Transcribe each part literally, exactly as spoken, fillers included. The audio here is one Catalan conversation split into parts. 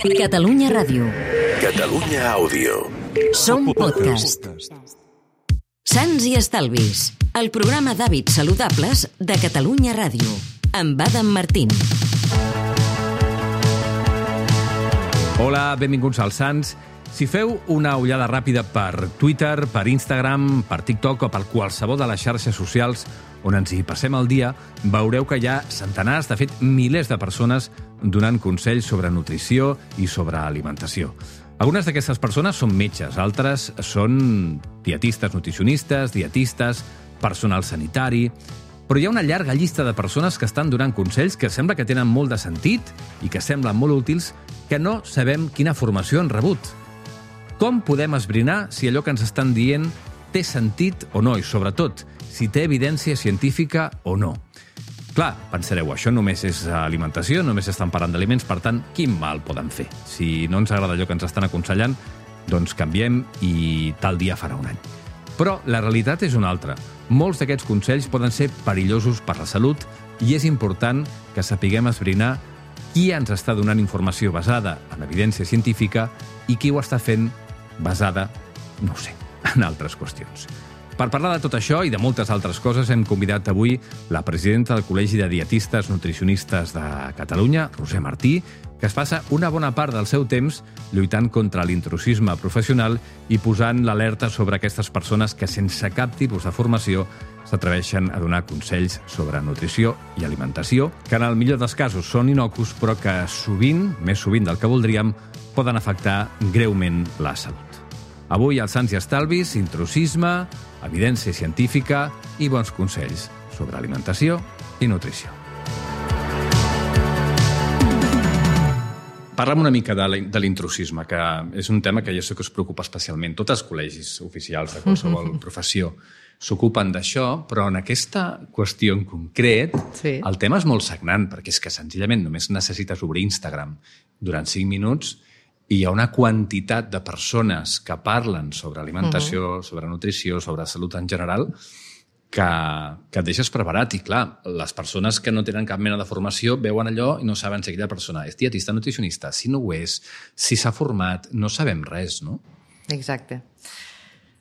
Catalunya Ràdio. Catalunya Àudio. Som podcast. Sants i Estalvis, el programa d'hàbits saludables de Catalunya Ràdio, amb Adam Martín. Hola, benvinguts als Sants. Si feu una ullada ràpida per Twitter, per Instagram, per TikTok o per qualsevol de les xarxes socials on ens hi passem el dia, veureu que hi ha centenars, de fet, milers de persones donant consells sobre nutrició i sobre alimentació. Algunes d'aquestes persones són metges, altres són dietistes, nutricionistes, dietistes, personal sanitari... Però hi ha una llarga llista de persones que estan donant consells que sembla que tenen molt de sentit i que semblen molt útils, que no sabem quina formació han rebut. Com podem esbrinar si allò que ens estan dient té sentit o no, i sobretot, si té evidència científica o no? Clar, pensareu, això només és alimentació, només estan parlant d'aliments, per tant, quin mal poden fer? Si no ens agrada allò que ens estan aconsellant, doncs canviem i tal dia farà un any. Però la realitat és una altra. Molts d'aquests consells poden ser perillosos per la salut i és important que sapiguem esbrinar qui ens està donant informació basada en evidència científica i qui ho està fent basada, no ho sé, en altres qüestions. Per parlar de tot això i de moltes altres coses hem convidat avui la presidenta del Col·legi de Dietistes Nutricionistes de Catalunya, Roser Martí, que es passa una bona part del seu temps lluitant contra l'intrusisme professional i posant l'alerta sobre aquestes persones que sense cap tipus de formació s'atreveixen a donar consells sobre nutrició i alimentació, que en el millor dels casos són innocus, però que sovint, més sovint del que voldríem, poden afectar greument la salut. Avui, als Sants i Estalvis, intrusisme, evidència científica i bons consells sobre alimentació i nutrició. Parla'm una mica de l'intrusisme, que és un tema que jo sé que us preocupa especialment. Tots els col·legis oficials de qualsevol professió s'ocupen d'això, però en aquesta qüestió en concret sí. El tema és molt sagnant, perquè és que senzillament només necessites obrir Instagram durant cinc minuts i hi ha una quantitat de persones que parlen sobre alimentació, uh-huh. sobre nutrició, sobre salut en general, que, que et deixes preparat. I clar, les persones que no tenen cap mena de formació veuen allò i no saben si aquella persona és dietista, nutricionista, si no ho és, si s'ha format, no sabem res, no? Exacte.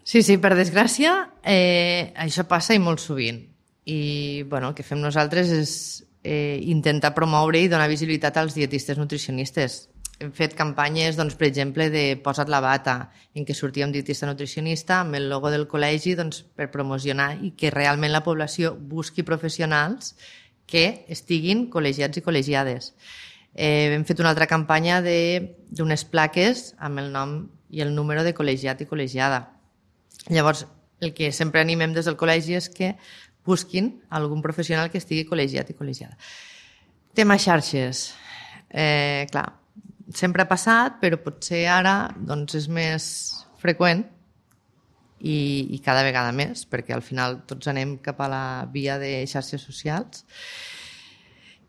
Sí, sí, per desgràcia, eh, això passa i molt sovint. I bueno, el que fem nosaltres és eh, intentar promoure i donar visibilitat als dietistes nutricionistes. Hem fet campanyes, doncs, per exemple, de Posa't la bata, en què sortia un dietista nutricionista amb el logo del col·legi doncs, per promocionar i que realment la població busqui professionals que estiguin col·legiats i col·legiades. Eh, hem fet una altra campanya d'unes plaques amb el nom i el número de col·legiat i col·legiada. Llavors, el que sempre animem des del col·legi és que busquin algun professional que estigui col·legiat i col·legiada. Tema xarxes. Eh, clar, sempre ha passat, però potser ara doncs, és més freqüent i, i cada vegada més, perquè al final tots anem cap a la via de xarxes socials.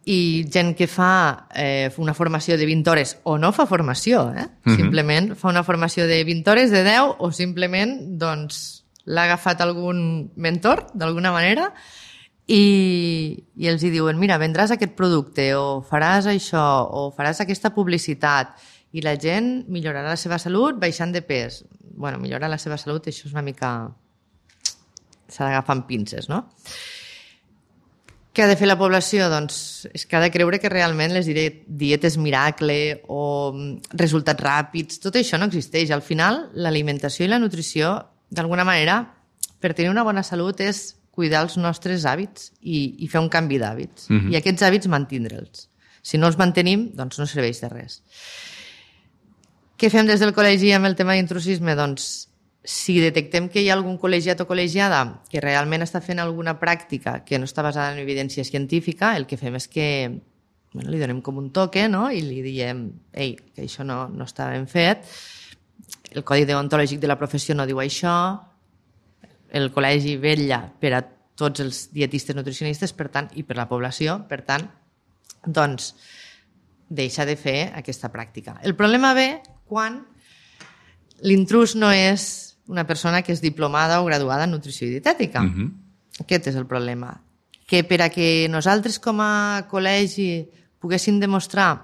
I gent que fa eh, una formació de vint hores o no fa formació, eh? Mm-hmm. Simplement fa una formació de vint hores, de deu, o simplement doncs, l'ha agafat algun mentor, d'alguna manera, I, i els hi diuen, mira, vendràs aquest producte o faràs això o faràs aquesta publicitat i la gent millorarà la seva salut baixant de pes. Bueno, millorar la seva salut, això és una mica... s'ha d'agafar amb pinces, no? Què ha de fer la població? Doncs és que ha de creure que realment les dietes miracle o resultats ràpids, tot això no existeix. Al final, l'alimentació i la nutrició, d'alguna manera, per tenir una bona salut és cuidar els nostres hàbits i, i fer un canvi d'hàbits. Uh-huh. I aquests hàbits mantindre'ls. Si no els mantenim, doncs no serveix de res. Què fem des del col·legi amb el tema d'intrusisme? Doncs si detectem que hi ha algun col·legiat o col·legiada que realment està fent alguna pràctica que no està basada en evidència científica, el que fem és que bueno, li donem com un toque, no? I li diem ei, que això no, no està ben fet, el codi deontològic de la professió no diu això, el col·legi vetlla per a tots els dietistes nutricionistes, per tant, i per la població, per tant, doncs, deixa de fer aquesta pràctica. El problema ve quan l'intrús no és una persona que és diplomada o graduada en nutrició i dietètica. Uh-huh. Aquest és el problema. Que per a que nosaltres com a col·legi poguéssim demostrar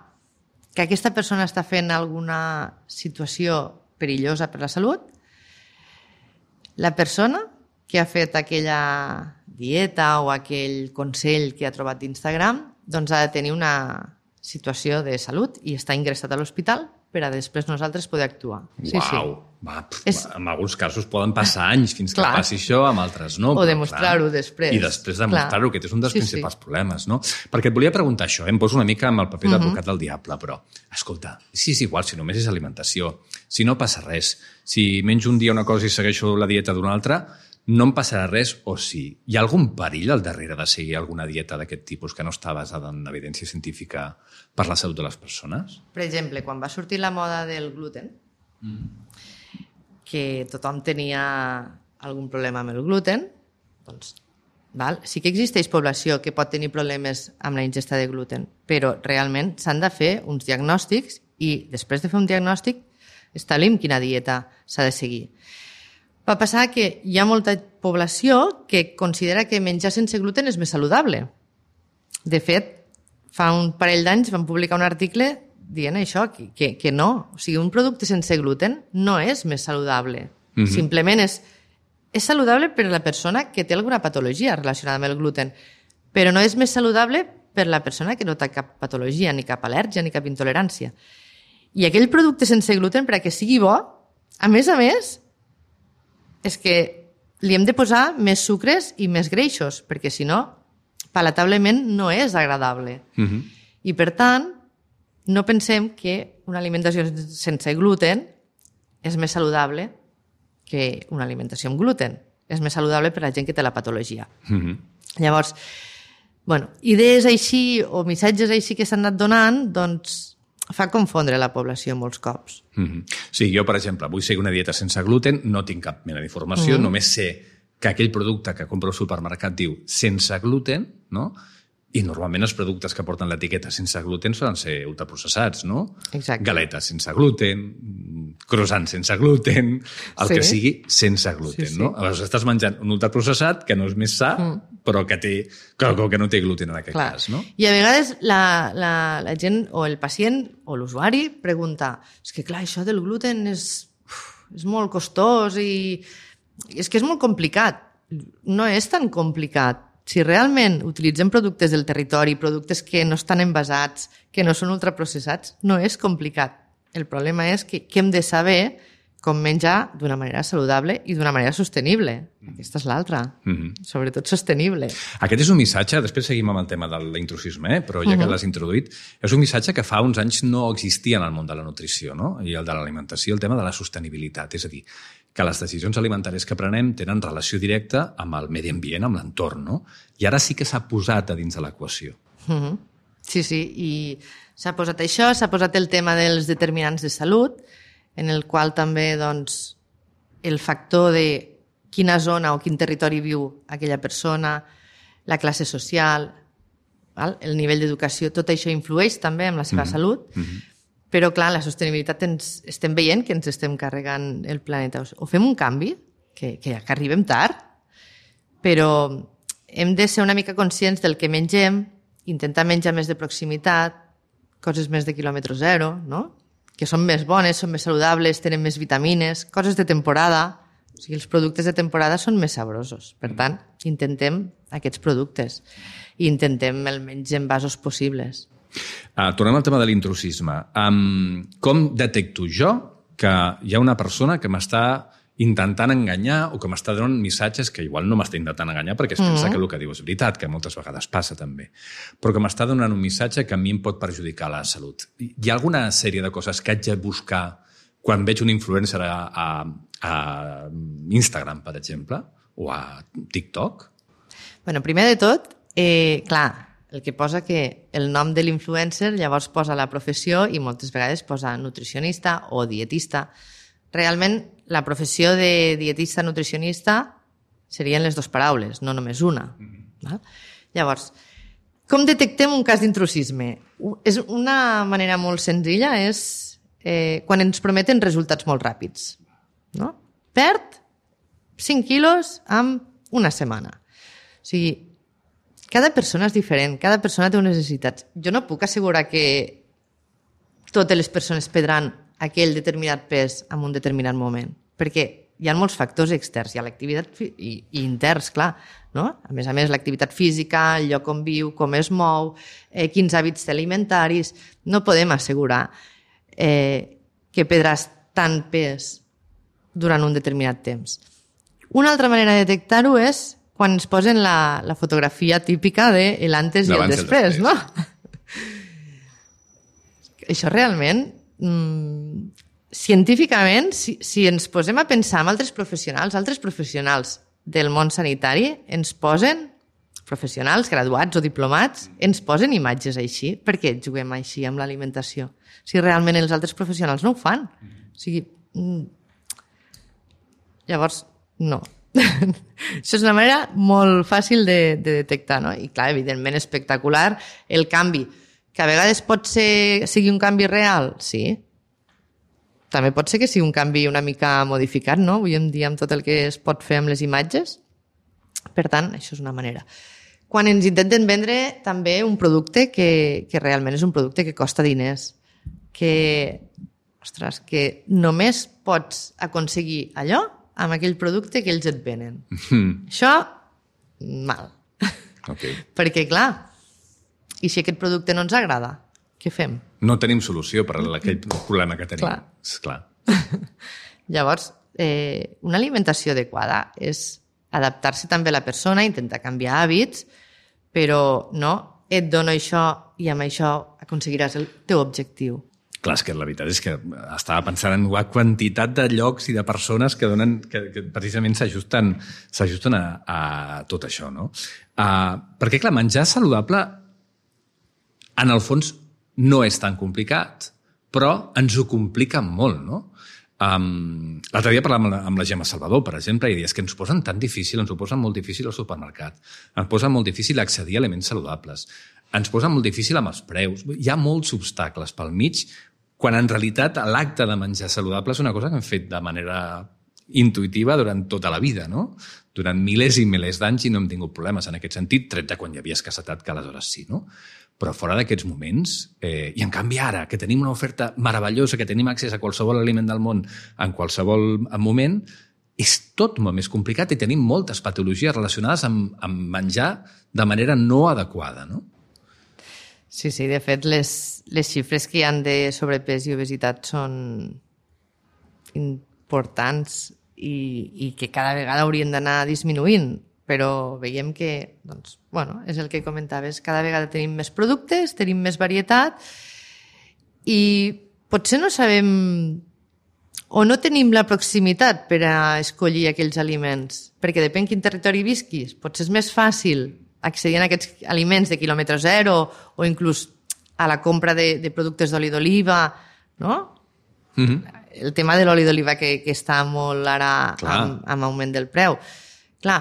que aquesta persona està fent alguna situació perillosa per la salut, la persona que ha fet aquella dieta o aquell consell que ha trobat d'Instagram doncs ha de tenir una situació de salut i està ingressat a l'hospital per a després nosaltres poder actuar. Sí, Uau! sí. Va, pf, És... En alguns casos poden passar anys fins que Clar. passi això, amb altres no. O demostrar-ho després. I després demostrar-ho, Clar. que és un dels Sí, principals sí. problemes, no? Perquè et volia preguntar això, eh? Em poso una mica amb el paper d'advocat Mhm. del diable, però, escolta, si és igual, si només és alimentació, si no passa res, si menjo un dia una cosa i segueixo la dieta d'una altra, no em passarà res, o sí. Hi ha algun perill al darrere de seguir alguna dieta d'aquest tipus que no està basada en evidència científica per la salut de les persones? Per exemple, quan va sortir la moda del gluten, que tothom tenia algun problema amb el gluten, doncs val? Sí que existeix població que pot tenir problemes amb la ingesta de gluten, però realment s'han de fer uns diagnòstics i després de fer un diagnòstic establim quina dieta s'ha de seguir. Va passar que hi ha molta població que considera que menjar sense gluten és més saludable. De fet, fa un parell d'anys vam publicar un article dient això, que, que, que no. O sigui, un producte sense gluten no és més saludable. Mm-hmm. Simplement és, és saludable per a la persona que té alguna patologia relacionada amb el gluten, però no és més saludable per a la persona que no té cap patologia, ni cap al·lèrgia, ni cap intolerància. I aquell producte sense gluten, per a que sigui bo, a més a més, és que li hem de posar més sucres i més greixos, perquè si no, palatablement no és agradable. Mm-hmm. I per tant, no pensem que una alimentació sense gluten és més saludable que una alimentació amb gluten. És més saludable per a la gent que té la patologia. Mm-hmm. Llavors, bueno, idees així o missatges així que s'han anat donant, doncs fa confondre la població molts cops. Mm-hmm. Sí, jo, per exemple, vull seguir una dieta sense gluten, no tinc cap mena d'informació, mm-hmm. només sé que aquell producte que compro al supermercat diu sense gluten, no? I normalment els productes que porten l'etiqueta sense gluten solen ser ultraprocessats, no? Exacte. Galetes sense gluten, croissants sense gluten, el Sí. que sigui sense gluten, Sí, sí. no? Aleshores estàs menjant un ultraprocessat que no és més sa, mm. però que, té, que, que no té gluten en aquest Clar. cas, no? I a vegades la, la, la gent o el pacient o l'usuari pregunta, és que clar, això del gluten és, uf, és molt costós i és que és molt complicat. No és tan complicat. Si realment utilitzem productes del territori, productes que no estan envasats, que no són ultraprocessats, no és complicat. El problema és que, que hem de saber com menjar d'una manera saludable i d'una manera sostenible. Aquesta és l'altra. Mm-hmm. Sobretot sostenible. Aquest és un missatge, després seguim amb el tema de l'intrusisme, eh? Però ja que l'has introduït, és un missatge que fa uns anys no existia en el món de la nutrició, no? I el de l'alimentació, el tema de la sostenibilitat. És a dir, que les decisions alimentàries que prenem tenen relació directa amb el medi ambient, amb l'entorn, no? I ara sí que s'ha posat a dins de l'equació. Mm-hmm. Sí, sí, i s'ha posat això, s'ha posat el tema dels determinants de salut, en el qual també doncs, el factor de quina zona o quin territori viu aquella persona, la classe social, val? El nivell d'educació, tot això influeix també en la seva mm-hmm. salut, mm-hmm. però clar, la sostenibilitat ens, estem veient que ens estem carregant el planeta. O fem un canvi, que, que, que arribem tard, però hem de ser una mica conscients del que mengem, intentar menjar més de proximitat, coses més de quilòmetre zero, no? Que són més bones, són més saludables, tenen més vitamines, coses de temporada. O sigui, els productes de temporada són més sabrosos. Per tant, intentem aquests productes i intentem el menys envasos possibles. Uh, tornem al tema de l'intrusisme. Um, com detecto jo que hi ha una persona que m'està intentant enganyar o que m'està donant missatges que igual no m'està intentant enganyar perquè es pensa mm-hmm. que el que diu és veritat, que moltes vegades passa també, però que m'està donant un missatge que a mi em pot perjudicar la salut. Hi ha alguna sèrie de coses que haig de buscar quan veig un influencer a, a, a Instagram, per exemple, o a TikTok? Bueno, primer de tot, eh, clar, el que posa que el nom de l'influencer llavors posa la professió i moltes vegades posa nutricionista o dietista. Realment, la professió de dietista nutricionista serien les dues paraules, no només una. Mm-hmm. Val? Llavors, com detectem un cas d'intrusisme? És una manera molt senzilla, és eh, quan ens prometen resultats molt ràpids. No? Perd cinc quilos en una setmana. O sigui, cada persona és diferent, cada persona té unes necessitats. Jo no puc assegurar que totes les persones perdran aquell determinat pes en un determinat moment, perquè hi ha molts factors externs, hi ha l'activitat fi- i, i interns, clar, no? A més a més, l'activitat física, el lloc on viu, com es mou, eh, quins hàbits té alimentaris, no podem assegurar eh, que perdràs tant pes durant un determinat temps. Una altra manera de detectar-ho és quan ens posen la, la fotografia típica de l'antes i el L'abans i el després, després. no? Això realment, mmm, científicament, si, si ens posem a pensar en altres professionals, altres professionals del món sanitari ens posen, professionals, graduats o diplomats, ens posen imatges així. Per què juguem així amb l'alimentació? Si realment els altres professionals no ho fan. O sigui, mm, llavors, no. Això és una manera molt fàcil de, de detectar, no? I clar, evidentment espectacular el canvi, que a vegades pot ser, sigui un canvi real, sí. També pot ser que sigui un canvi una mica modificat, no? Avui en dia amb tot el que es pot fer amb les imatges. Per tant, això és una manera. Quan ens intenten vendre també un producte que, que realment és un producte que costa diners, que, ostres, que només pots aconseguir allò amb aquell producte que ells et venen. Mm. Això, mal. Okay. Perquè, clar, i si aquest producte no ens agrada, què fem? No tenim solució per a aquell problema que tenim. Clar. Esclar. Llavors, eh, una alimentació adequada és adaptar-se també a la persona, intentar canviar hàbits, però no, et dono això i amb això aconseguiràs el teu objectiu. Clar, és que la veritat és que estava pensant en la quantitat de llocs i de persones que donen que, que precisament s'ajusten s'ajusten a, a tot això, no? Uh, perquè, clar, menjar saludable en el fons no és tan complicat, però ens ho complica molt, no? Um, L'altre dia parlàvem amb la, amb la Gemma Salvador, per exemple, i dius que ens posen tan difícil, ens ho posen molt difícil al supermercat, ens posen molt difícil accedir a aliments saludables, ens posen molt difícil amb els preus. Hi ha molts obstacles pel mig, quan en realitat l'acte de menjar saludable és una cosa que hem fet de manera intuïtiva durant tota la vida, no? Durant milers i milers d'anys i no hem tingut problemes en aquest sentit, tret de quan hi havia escassetat, que aleshores sí, no? Però fora d'aquests moments, eh, i en canvi ara, que tenim una oferta meravellosa, que tenim accés a qualsevol aliment del món en qualsevol moment, és tot molt més complicat i tenim moltes patologies relacionades amb, amb menjar de manera no adequada, no? Sí, sí, de fet, les, les xifres que hi han de sobrepès i obesitat són importants i, i que cada vegada haurien d'anar disminuint, però veiem que, doncs, bueno, és el que comentaves, cada vegada tenim més productes, tenim més varietat i potser no sabem o no tenim la proximitat per a escollir aquells aliments, perquè depèn quin territori visquis, potser és més fàcil accedir a aquests aliments de quilòmetre zero o inclús a la compra de, de productes d'oli d'oliva, no? Mm-hmm. El tema de l'oli d'oliva que, que està molt ara amb, amb augment del preu. Clar,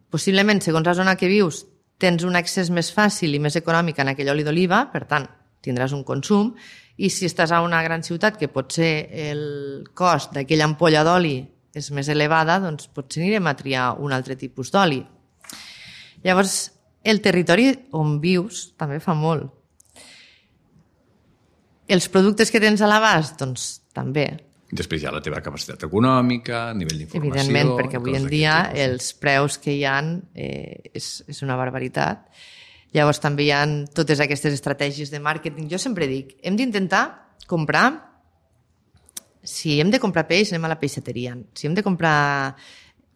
possiblement, segons la zona que vius, tens un accés més fàcil i més econòmic en aquell oli d'oliva, per tant, tindràs un consum, i si estàs a una gran ciutat que potser el cost d'aquella ampolla d'oli és més elevada, doncs potser anirem a triar un altre tipus d'oli. Llavors, el territori on vius també fa molt. Els productes que tens a l'abast, doncs també. Després hi ha la teva capacitat econòmica, nivell d'informació... Evidentment, perquè avui en dia els preus que hi ha eh, és, és una barbaritat. Llavors també hi ha totes aquestes estratègies de màrqueting. Jo sempre dic, hem d'intentar comprar... Si hem de comprar peix, anem a la peixateria. Si hem de comprar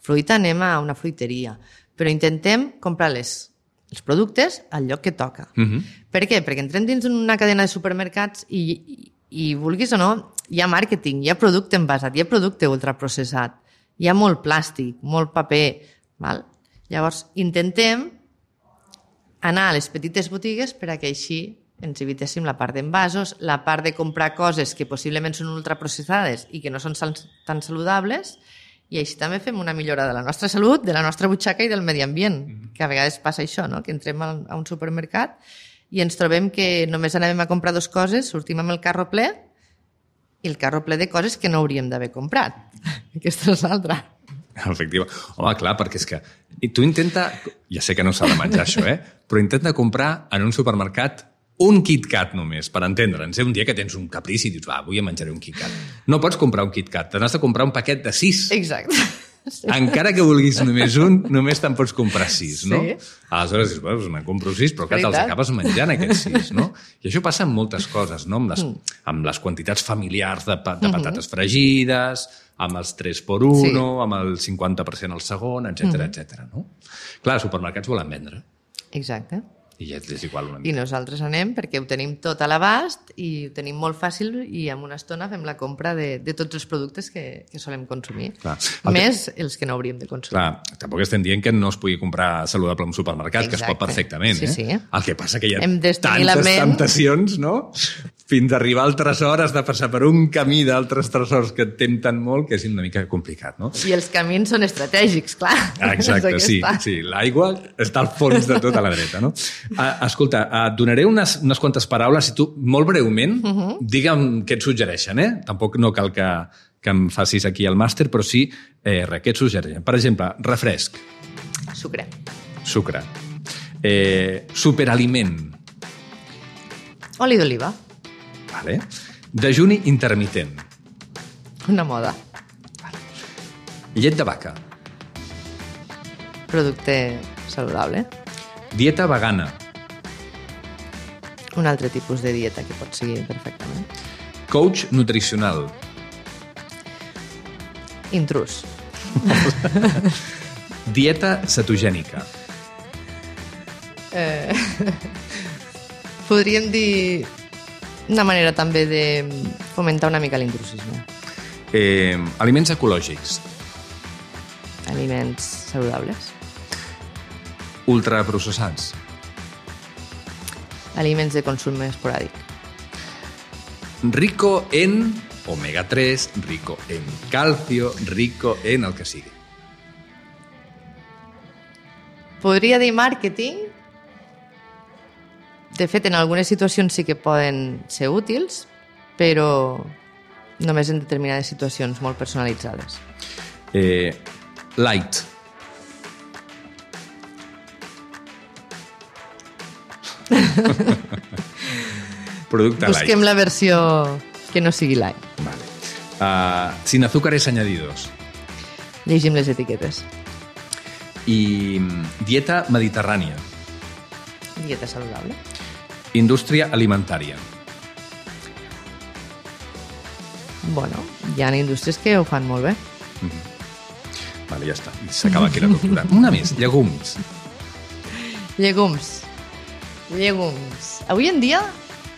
fruita, anem a una fruiteria. Però intentem comprar les, els productes al lloc que toca. Uh-huh. Per què? Perquè entrem dins una cadena de supermercats i, i, i vulguis o no, hi ha màrqueting, hi ha producte envasat, hi ha producte ultraprocessat, hi ha molt plàstic, molt paper. Val? Llavors, intentem anar a les petites botigues per a que així ens evitéssim la part d'envasos, la part de comprar coses que possiblement són ultraprocessades i que no són tan saludables, i així també fem una millora de la nostra salut, de la nostra butxaca i del medi ambient, que a vegades passa això, no? Que entrem a un supermercat i ens trobem que només anem a comprar dues coses, sortim amb el carro ple i el carro ple de coses que no hauríem d'haver comprat. Aquesta és l'altra. Efectiva. Home, clar, perquè és que... I tu intenta... Ja sé que no s'ha de menjar això, eh? Però intenta comprar en un supermercat un KitKat només, per entendre'ns. Un dia que tens un caprici i dius, va, avui em menjaré un KitKat. No pots comprar un KitKat, t'has de comprar un paquet de sis. Exacte. Sí. Encara que vulguis només un, només te'n pots comprar sis, no? Sí. Aleshores dius, bueno, me'n compro sis, però clar, te'ls acabes menjant aquests sis, no? I això passa amb moltes coses, no? Amb les, mm. amb les quantitats familiars de, pa, de patates mm-hmm. fregides, amb els tres per uno, sí. amb el cinquanta per cent al segon, etcètera, mm-hmm. etcètera, no? Clar, els supermercats volen vendre. Exacte. I ja és igual una mica. I nosaltres anem perquè ho tenim tot a l'abast i ho tenim molt fàcil i en una estona fem la compra de, de tots els productes que, que solem consumir. Clar. El Més que... els que no hauríem de consumir. Clar, tampoc estem dient que no es pugui comprar saludable en un supermercat, Exacte. Que es pot perfectament. Sí, sí. Eh? El que passa que hi ha Hem tantes ment... temptacions, no? Fins a arribar al tresor has de passar per un camí d'altres tresors que et tempten molt, que és una mica complicat, no? I els camins són estratègics, clar. Exacte, sí, sí. L'aigua està al fons de tot a la dreta, no? Uh, escolta, et donaré unes, unes quantes paraules i tu, molt breument, uh -huh. digue'm què et suggereixen, eh? Tampoc no cal que, que em facis aquí el màster, però sí, eh, res, què et suggereixen? Per exemple, refresc. Sucre. Sucre. Eh, superaliment. Oli d'oliva. Vale. Dejuni intermitent. Una moda. Vale. Llet de vaca. Producte saludable. Dieta vegana. Un altre tipus de dieta que pot seguir perfectament. Coach nutricional. Intrus. Dieta cetogènica. Eh, podríem dir una manera també de fomentar una mica l'intrusisme. Eh, aliments ecològics. Aliments saludables. Ultraprocessats. Aliments de consum esporàdic. Rico en omega tres, rico en calcio, rico en el que sigui. Podria dir màrqueting. De fet, en algunes situacions sí que poden ser útils, però només en determinades situacions molt personalitzades. Eh, light. Producte light. Busquem la versió que no sigui light. Vale. Uh, sin azúcares añadidos. Llegim les etiquetes. I dieta mediterrània. Dieta saludable. Indústria alimentària. Bueno, hi ha indústries que ho fan molt bé. Mm-hmm. Vale, ja està. S'acaba aquí la cultura. Una més, llegums. Llegums. Llegums. Avui en dia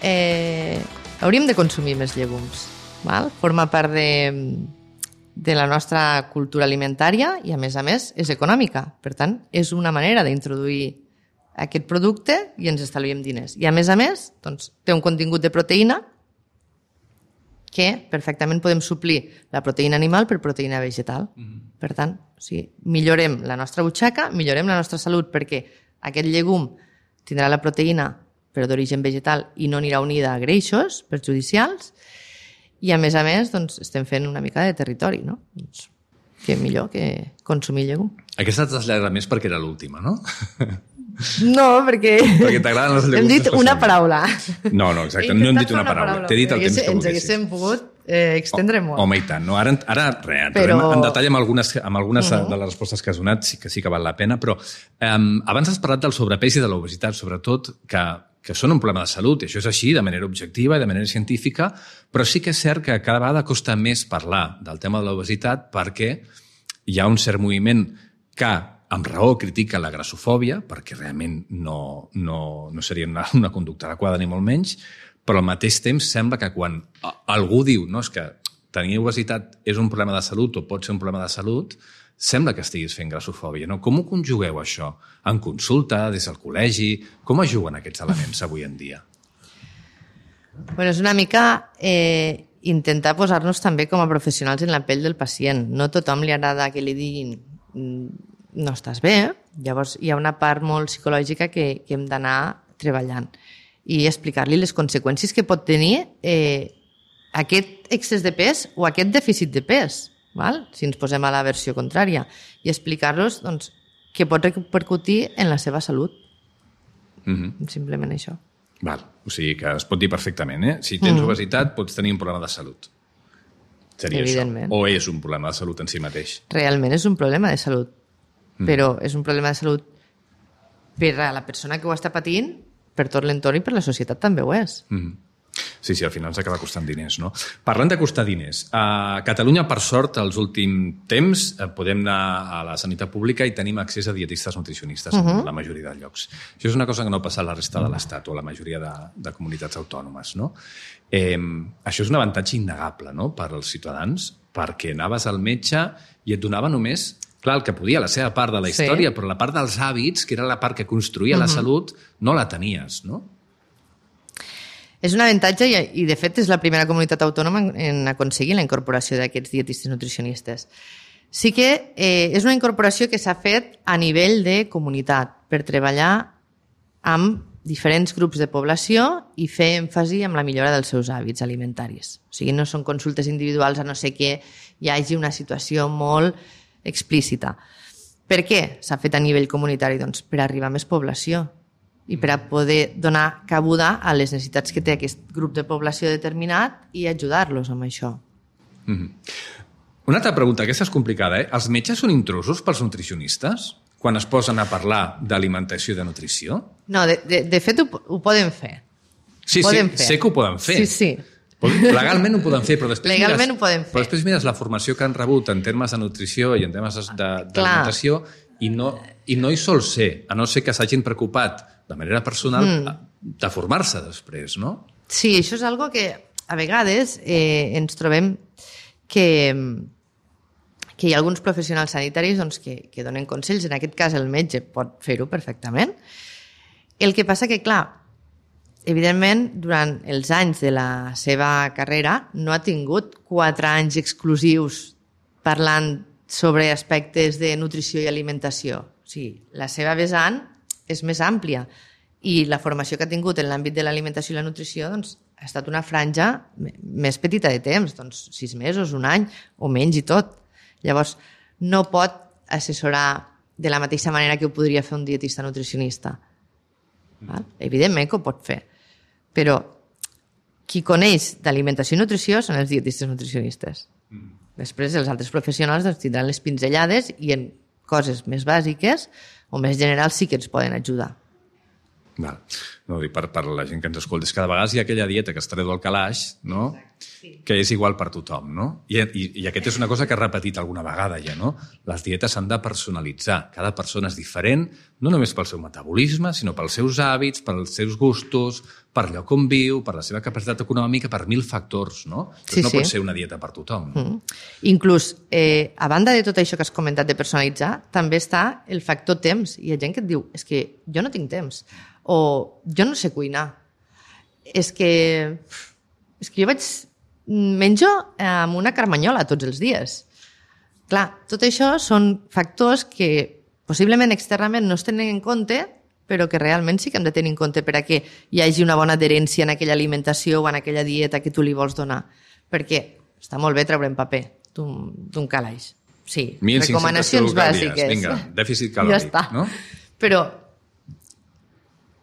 eh, hauríem de consumir més llegums. Val? Forma part de, de la nostra cultura alimentària i, a més a més, és econòmica. Per tant, és una manera d'introduir aquest producte i ens estalviem diners. I, a més a més, doncs, té un contingut de proteïna que perfectament podem suplir la proteïna animal per proteïna vegetal. Mm-hmm. Per tant, o sigui, millorem la nostra butxaca, millorem la nostra salut, perquè aquest llegum tindrà la proteïna però d'origen vegetal i no anirà unida a greixos perjudicials i, a més a més, doncs, estem fent una mica de territori, no? Doncs, què millor que consumir llegum. Aquesta t'has llargat més perquè era l'última, no? No, perquè... Perquè t'agraden les llegums. Hem dit una paraula. No, no, exacte, no hem dit una paraula. T'he dit el temps que volguessis. Ens haguéssim pogut eh, extendre molt. Home, i tant. No, ara, ara res, però... en detall amb algunes, amb algunes uh-huh. de les respostes que has donat, sí que sí que val la pena, però eh, abans has parlat del sobrepès i de l'obesitat, sobretot, que, que són un problema de salut, i això és així, de manera objectiva i de manera científica, però sí que és cert que cada vegada costa més parlar del tema de l'obesitat perquè hi ha un cert moviment que amb raó critica la grassofòbia, perquè realment no, no, no seria una, una conducta adequada ni molt menys, però al mateix temps sembla que quan algú diu no, és que tenir obesitat és un problema de salut o pot ser un problema de salut, sembla que estiguis fent grassofòbia. No? Com ho conjugueu, això? En consulta, des del col·legi? Com es juguen aquests elements avui en dia? Bueno, és una mica eh, intentar posar-nos també com a professionals en la pell del pacient. No a tothom li agrada que li diguin no estàs bé, llavors hi ha una part molt psicològica que, que hem d'anar treballant i explicar-li les conseqüències que pot tenir eh, aquest excés de pes o aquest dèficit de pes, val? Si ens posem a la versió contrària, i explicar-los doncs, que pot repercutir en la seva salut. Mm-hmm. Simplement això. Val. O sigui que es pot dir perfectament, eh? Si tens mm. obesitat, pots tenir un problema de salut. Seria Evidentment. això. O és un problema de salut en si mateix. Realment és un problema de salut, mm. però és un problema de salut per a la persona que ho està patint, per tot l'entorn i per la societat també ho és. Mm. Sí, sí, al final s'acaba costant diners, no? Parlant de costar diners, a Catalunya, per sort, als últims temps podem anar a la sanitat pública i tenim accés a dietistes nutricionistes uh-huh. en la majoria de llocs. Això és una cosa que no passa a la resta de l'Estat o a la majoria de, de comunitats autònomes, no? Eh, això és un avantatge innegable, no?, per als ciutadans, perquè anaves al metge i et donava només, clar, el que podia, la seva part de la història, sí. però la part dels hàbits, que era la part que construïa uh-huh. la salut, no la tenies, no? És un avantatge i, i, de fet, és la primera comunitat autònoma en, en aconseguir la incorporació d'aquests dietistes nutricionistes. Sí que eh, és una incorporació que s'ha fet a nivell de comunitat per treballar amb diferents grups de població i fer èmfasi en la millora dels seus hàbits alimentaris. O sigui, no són consultes individuals a no ser que hi hagi una situació molt explícita. Per què s'ha fet a nivell comunitari? Doncs per arribar a més població i per a poder donar cabuda a les necessitats que té aquest grup de població determinat i ajudar-los amb això. Mm-hmm. Una altra pregunta, aquesta és complicada, eh? Els metges són intrusos pels nutricionistes quan es posen a parlar d'alimentació i de nutrició? No, de, de, de fet ho, ho poden fer. Sí, poden sí, fer. sé que ho poden fer. Sí, sí. Legalment ho poden fer, però després, Legalment mires, ho poden fer. però després mires la formació que han rebut en termes de nutrició i en termes d'alimentació i no, i no hi sol ser, a no ser que s'hagin preocupat de manera personal mm. de formar-se després, no? Sí, això és algo que a vegades eh, ens trobem que, que hi ha alguns professionals sanitaris doncs, que, que donen consells, en aquest cas el metge pot fer-ho perfectament. El que passa que, clar, evidentment, durant els anys de la seva carrera no ha tingut quatre anys exclusius parlant sobre aspectes de nutrició i alimentació. O sigui, la seva vessant és més àmplia i la formació que ha tingut en l'àmbit de l'alimentació i la nutrició doncs, ha estat una franja més petita de temps, doncs sis mesos, un any o menys i tot. Llavors, no pot assessorar de la mateixa manera que ho podria fer un dietista nutricionista. Val? Evidentment que ho pot fer, però qui coneix d'alimentació i nutrició són els dietistes nutricionistes. Després els altres professionals doncs, tindran les pinzellades i en coses més bàsiques o més generals sí que ens poden ajudar. Val. No, dic, per, per la gent que ens escolta, és que de vegades hi ha aquella dieta que es treu del calaix, no? Sí. Que és igual per tothom, no? I, i, I aquesta és una cosa que he repetit alguna vegada ja, no? Les dietes s'han de personalitzar. Cada persona és diferent, no només pel seu metabolisme, sinó pels seus hàbits, pels seus gustos, per lloc on viu, per la seva capacitat econòmica, per mil factors, no? Doncs sí, no sí. pot ser una dieta per tothom. No? Mm. Inclús, eh, a banda de tot això que has comentat de personalitzar, també està el factor temps. Hi ha gent que et diu, és que jo no tinc temps, o jo no sé cuinar, és que, és que jo vaig menjo amb una carmanyola tots els dies. Clar, tot això són factors que possiblement externament no es tenen en compte, però que realment sí que hem de tenir en compte per a que hi hagi una bona adherència en aquella alimentació o en aquella dieta que tu li vols donar. Perquè està molt bé treure en paper d'un calaix. Sí, recomanacions bàsiques. Vinga, dèficit calòric. Ja està. No? Però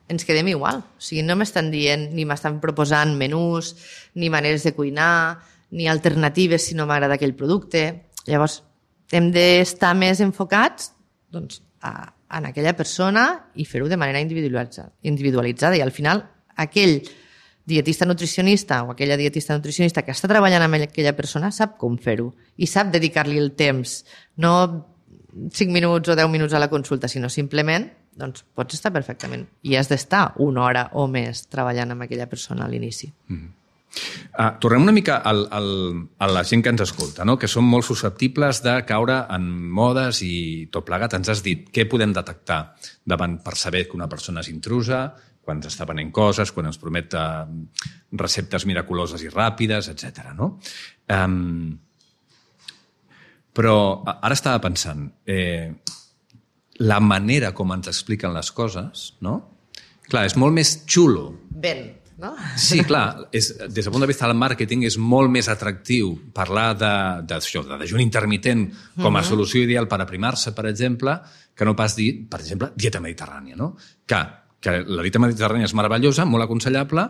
ens quedem igual. O sigui, no m'estan dient ni m'estan proposant menús, ni maneres de cuinar, ni alternatives si no m'agrada aquell producte. Llavors, hem d'estar més enfocats doncs, a, en aquella persona i fer-ho de manera individualitzada, individualitzada. I al final, aquell dietista nutricionista o aquella dietista nutricionista que està treballant amb aquella persona sap com fer-ho i sap dedicar-li el temps. No cinc minuts o deu minuts a la consulta, sinó simplement doncs pots estar perfectament i has d'estar una hora o més treballant amb aquella persona a l'inici. Mm-hmm. Uh, tornem una mica al, al, a la gent que ens escolta, no? Que són molt susceptibles de caure en modes i tot plegat. Ens has dit què podem detectar davant per saber que una persona és intrusa, quan ens està venent coses, quan ens promet uh, receptes miraculoses i ràpides, etcètera. No? Um, però ara estava pensant... Eh, la manera com ens expliquen les coses, no? Clar, és molt més xulo. Ben, no? Sí, clar, és, des del punt de vista del màrqueting és molt més atractiu parlar de, de, de dejuni intermitent com a uh-huh. solució ideal per aprimar-se, per exemple, que no pas dir, per exemple, dieta mediterrània, no? Que que la dieta mediterrània és meravellosa, molt aconsellable,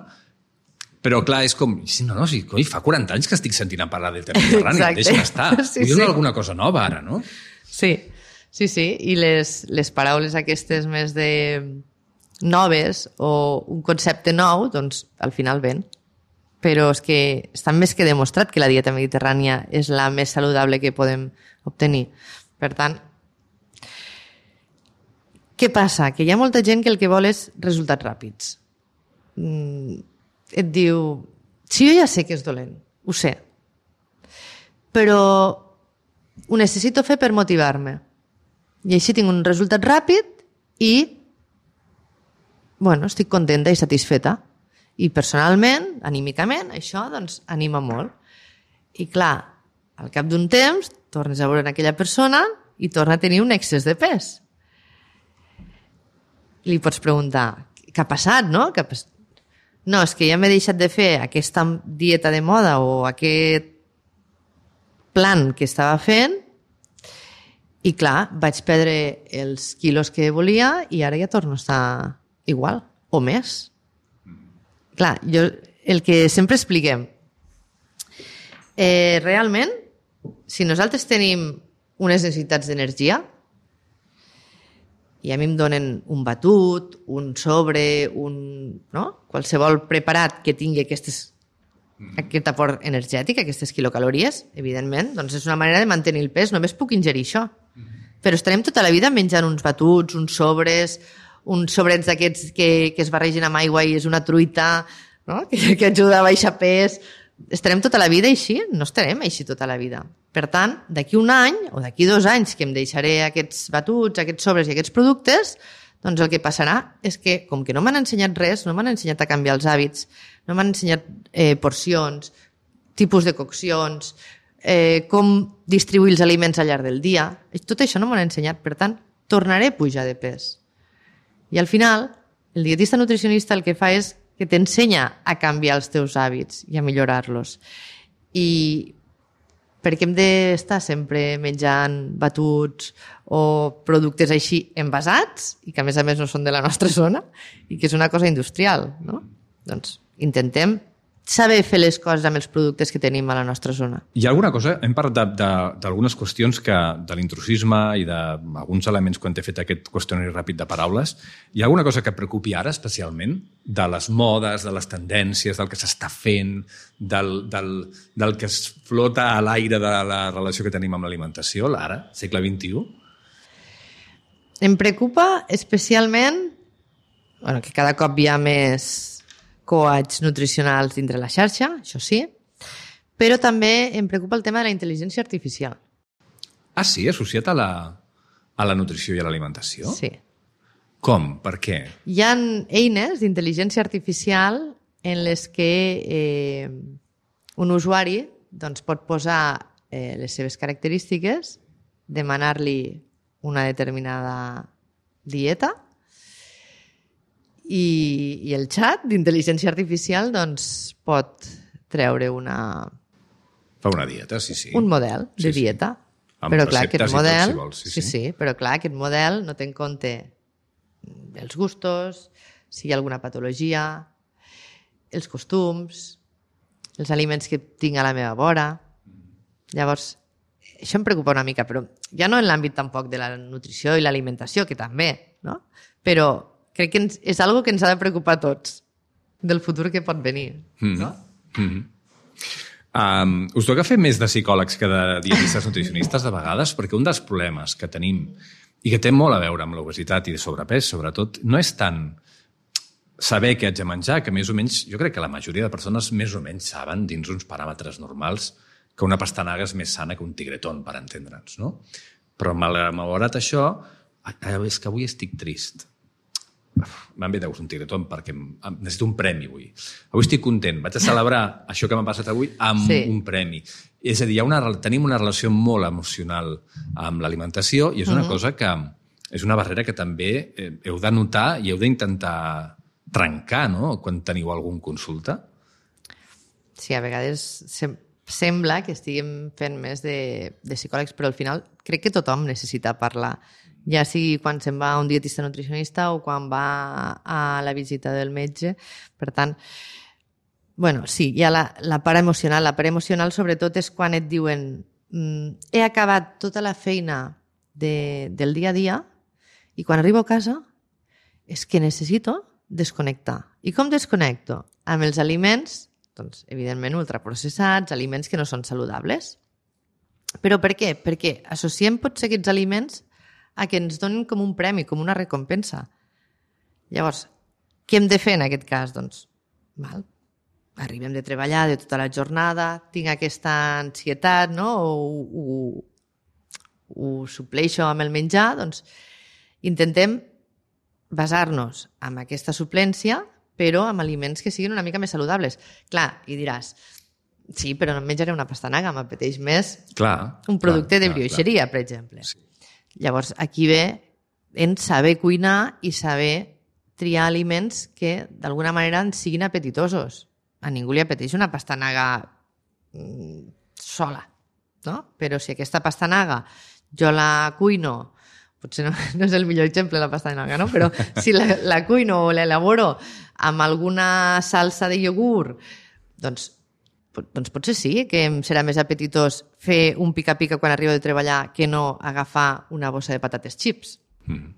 però clar, és com... No, no, sí, coi, fa quaranta anys que estic sentint a parlar de dieta mediterrània, deixa'm estar. Sí, Vull dir sí. alguna cosa nova ara, no? Sí, sí, sí. I les, les paraules aquestes més de noves o un concepte nou, doncs al final ven. Però és que està més que demostrat que la dieta mediterrània és la més saludable que podem obtenir. Per tant, què passa? Que hi ha molta gent que el que vol és resultats ràpids. Mm, et diu, sí, jo ja sé que és dolent, ho sé, però ho necessito fer per motivar-me. I així tinc un resultat ràpid i bueno, estic contenta i satisfeta. I personalment, anímicament, això doncs, anima molt. I clar, al cap d'un temps, tornes a veure aquella persona i torna a tenir un excés de pes. Li pots preguntar, què ha passat, no? Què ha passat? No, és que ja m'he deixat de fer aquesta dieta de moda o aquest plan que estava fent i, clar, vaig perdre els quilos que volia i ara ja torno a estar igual o més. Clar, jo, el que sempre expliquem, eh, realment, si nosaltres tenim unes necessitats d'energia i a mi em donen un batut, un sobre, un, no? Qualsevol preparat que tingui aquestes, aquest aport energètic, aquestes quilocalories, evidentment, doncs és una manera de mantenir el pes, només puc ingerir això. Però estarem tota la vida menjant uns batuts, uns sobres, uns sobrets d'aquests que, que es barregen amb aigua i és una truita, no? que, que ajuda a baixar pes. Estarem tota la vida així? No estarem així tota la vida. Per tant, d'aquí un any o d'aquí dos anys que em deixaré aquests batuts, aquests sobres i aquests productes, doncs el que passarà és que, com que no m'han ensenyat res, no m'han ensenyat a canviar els hàbits, no m'han ensenyat eh, porcions, tipus de coccions, eh, com distribuir els aliments al llarg del dia, tot això no m'ho han ensenyat. Per tant, tornaré a pujar de pes. I al final, el dietista nutricionista el que fa és que t'ensenya a canviar els teus hàbits i a millorar-los. I perquè hem d'estar sempre menjant batuts o productes així envasats i que a més a més no són de la nostra zona i que és una cosa industrial, no? Doncs intentem saber fer les coses amb els productes que tenim a la nostra zona. Hi ha alguna cosa, hem parlat d'algunes qüestions que, de l'intrusisme i d'alguns elements quan t'he fet aquest qüestionari ràpid de paraules, hi ha alguna cosa que et preocupi ara especialment de les modes, de les tendències, del que s'està fent, del, del, del que es flota a l'aire de la relació que tenim amb l'alimentació, l'ara, segle vint-i-u? Em preocupa especialment bueno, que cada cop hi ha més coachs nutricionals dintre la xarxa, això sí, però també em preocupa el tema de la intel·ligència artificial. Ah, sí? Associat a la, a la nutrició i a l'alimentació? Sí. Com? Per què? Hi ha eines d'intel·ligència artificial en les que eh, un usuari doncs, pot posar eh, les seves característiques, demanar-li una determinada dieta i, i el xat d'intel·ligència artificial doncs, pot treure una... Fa una dieta, sí, sí. Un model de sí, sí. dieta. Amb però clar, receptes aquest model, i tot, si vols. Sí, sí, sí. sí, però clar, aquest model no té en compte els gustos, si hi ha alguna patologia, els costums, els aliments que tinc a la meva vora. Llavors, això em preocupa una mica, però ja no en l'àmbit tampoc de la nutrició i l'alimentació, que també, no? Però crec que ens, és algo que ens ha de preocupar a tots del futur que pot venir. Mm-hmm. No? Mm-hmm. Um, us toca fer més de psicòlegs que de dietistes nutricionistes de vegades, perquè un dels problemes que tenim i que té molt a veure amb l'obesitat i de sobrepès, sobretot, no és tant saber què haig de menjar, que més o menys, jo crec que la majoria de persones més o menys saben, dins uns paràmetres normals, que una pastanaga és més sana que un tigretón, per entendre'ns, no? Però malgrat això, és que avui estic trist. M'han ve un tigretón perquè necessito un premi avui. Avui estic content, vaig a celebrar això que m'ha passat avui amb sí. un premi. És a dir, hi ha una, tenim una relació molt emocional amb l'alimentació i és una uh-huh. cosa que és una barrera que també heu de notar i heu d'intentar trencar, no?, quan teniu algun consulta. Sí, a vegades sem- sembla que estiguem fent més de, de psicòlegs, però al final crec que tothom necessita parlar ja sigui quan se'n va a un dietista nutricionista o quan va a la visita del metge. Per tant, bueno, sí, hi ha la, la part emocional. La part emocional sobretot és quan et diuen mm, he acabat tota la feina de, del dia a dia i quan arribo a casa és que necessito desconnectar. I com desconnecto? Amb els aliments, doncs, evidentment, ultraprocessats, aliments que no són saludables. Però per què? Perquè associem potser aquests aliments a que ens donen com un premi, com una recompensa. Llavors, què hem de fer en aquest cas? Doncs, val, arribem de treballar de tota la jornada, tinc aquesta ansietat, no? o ho, ho supleixo amb el menjar, doncs intentem basar-nos en aquesta suplència, però amb aliments que siguin una mica més saludables. Clar, i diràs, sí, però no em menjaré una pastanaga, m'apeteix més clar, un producte clar, de brioixeria, clar. Per exemple. Sí. Llavors, aquí ve en saber cuinar i saber triar aliments que d'alguna manera ens siguin apetitosos. A ningú li apeteix una pastanaga mm, sola, no? Però si aquesta pastanaga jo la cuino, potser no, no és el millor exemple la pastanaga, no? Però si la, la cuino o l'elaboro amb alguna salsa de iogurt, doncs, doncs potser sí que em serà més apetitós fer un pica-pica quan arribo de treballar que no agafar una bossa de patates chips. Mm.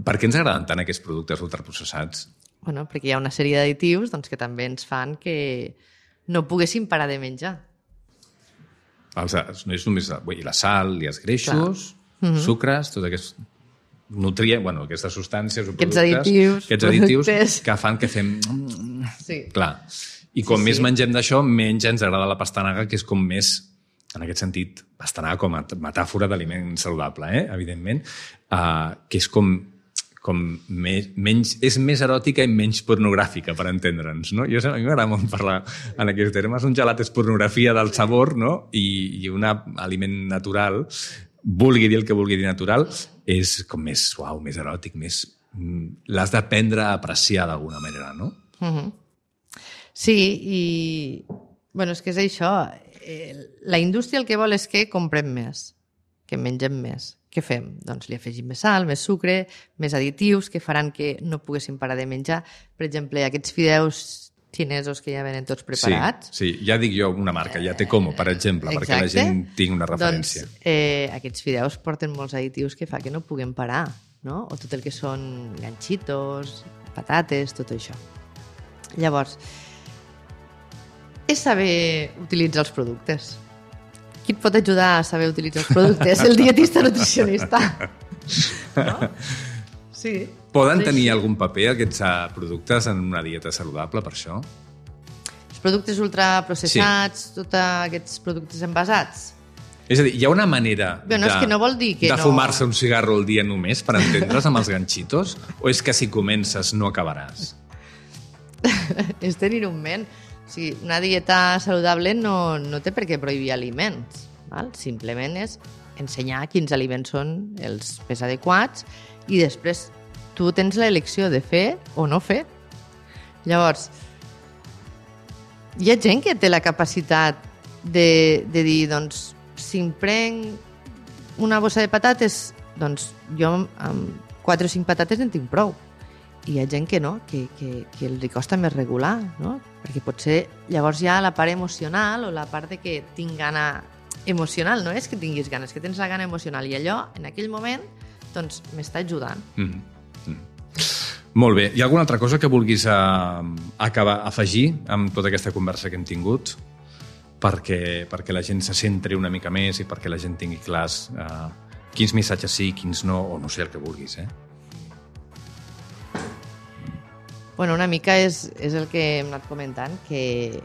Per què ens agraden tant aquests productes ultraprocessats? Bueno, perquè hi ha una sèrie d'additius doncs, que també ens fan que no poguéssim parar de menjar. Els, no és només i la sal i els greixos, mm-hmm. sucres, tots aquests nutrients, bueno, aquestes substàncies o aquests productes, additius, aquests additius productes. Que fan que fem... Sí. Clar. I com sí, més sí. mengem d'això, menys ens agrada la pastanaga, que és com més, en aquest sentit, pastanaga com a metàfora d'aliment saludable, eh? Evidentment, uh, que és com, com més, menys, és més eròtica i menys pornogràfica, per entendre'ns, no? Jo, a mi m'agrada molt parlar en aquests termes. Un gelat és pornografia del sabor, no? I, i un aliment natural, vulgui dir el que vulgui dir natural, és com més suau, més eròtic, més... l'has d'aprendre a apreciar d'alguna manera, no? Mm-hmm. Sí, i bueno, és que és això. La indústria el que vol és que comprem més, que mengem més. Què fem? Doncs li afegim més sal, més sucre, més additius que faran que no poguéssim parar de menjar. Per exemple, aquests fideus xinesos que ja venen tots preparats. Sí, sí, ja dic jo una marca, ja té Como, per exemple, Exacte. Perquè la gent tingui una referència. Doncs eh, aquests fideus porten molts additius que fa que no puguem parar, no? O tot el que són ganxitos, patates, tot això. Llavors, és saber utilitzar els productes. Qui et pot ajudar a saber utilitzar els productes? El dietista nutricionista. No? Sí. Poden sí, tenir sí. algun paper aquests productes en una dieta saludable, per això? Els productes ultraprocessats, sí. Tots aquests productes envasats. És a dir, hi ha una manera bueno, de, és que no vol dir que de no... fumar-se un cigarro al dia només, per entendre's, amb els ganxitos? O és que si comences no acabaràs? És tenir un ment. O sigui, una dieta saludable no, no té per què prohibir aliments. Val? Simplement és ensenyar quins aliments són els més adequats i després tu tens l'elecció de fer o no fer. Llavors, hi ha gent que té la capacitat de, de dir, doncs, si em prenc una bossa de patates, doncs jo amb quatre o cinc patates en tinc prou. I hi ha gent que no, que, que, que els costa més regular, no? Perquè potser llavors hi ha la part emocional o la part de que tinc gana emocional, no és que tinguis ganes, que tens la gana emocional i allò, en aquell moment, doncs m'està ajudant. Mm. Mm. Molt bé. Hi ha alguna altra cosa que vulguis uh, acabar, afegir amb tota aquesta conversa que hem tingut perquè, perquè la gent se centri una mica més i perquè la gent tingui clars uh, quins missatges sí, quins no, o no sé el que vulguis, eh? Bueno, una mica és, és el que hem anat comentant, que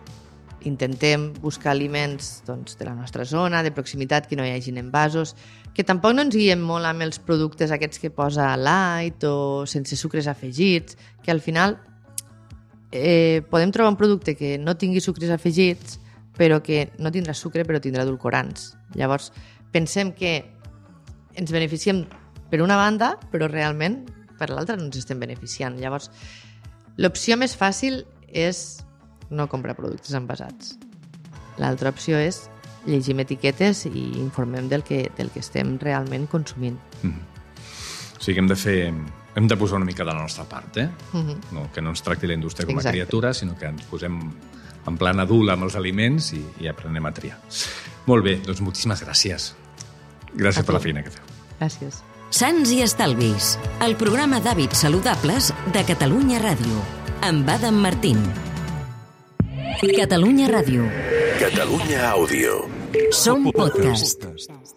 intentem buscar aliments doncs, de la nostra zona, de proximitat, que no hi hagin envasos, que tampoc no ens guiem molt amb els productes aquests que posa light o sense sucres afegits, que al final eh, podem trobar un producte que no tingui sucres afegits, però que no tindrà sucre, però tindrà edulcorants. Llavors, pensem que ens beneficiem per una banda, però realment per l'altra no ens estem beneficiant. Llavors, l'opció més fàcil és no comprar productes envasats. L'altra opció és llegim etiquetes i informem del que, del que estem realment consumint. Mm. O sigui que hem de fer... Hem de posar una mica de la nostra part, eh? Uh-huh. No, que no ens tracti la indústria com a Exacte. criatura, sinó que ens posem en plan adult amb els aliments i, i aprenem a triar. Molt bé, doncs moltíssimes gràcies. Gràcies A per tu. la feina que feu. Gràcies. Sants i Estalvis, el programa d'hàbits saludables de Catalunya Ràdio, amb Adam Martín. Catalunya Ràdio. Catalunya Àudio. Som podcast.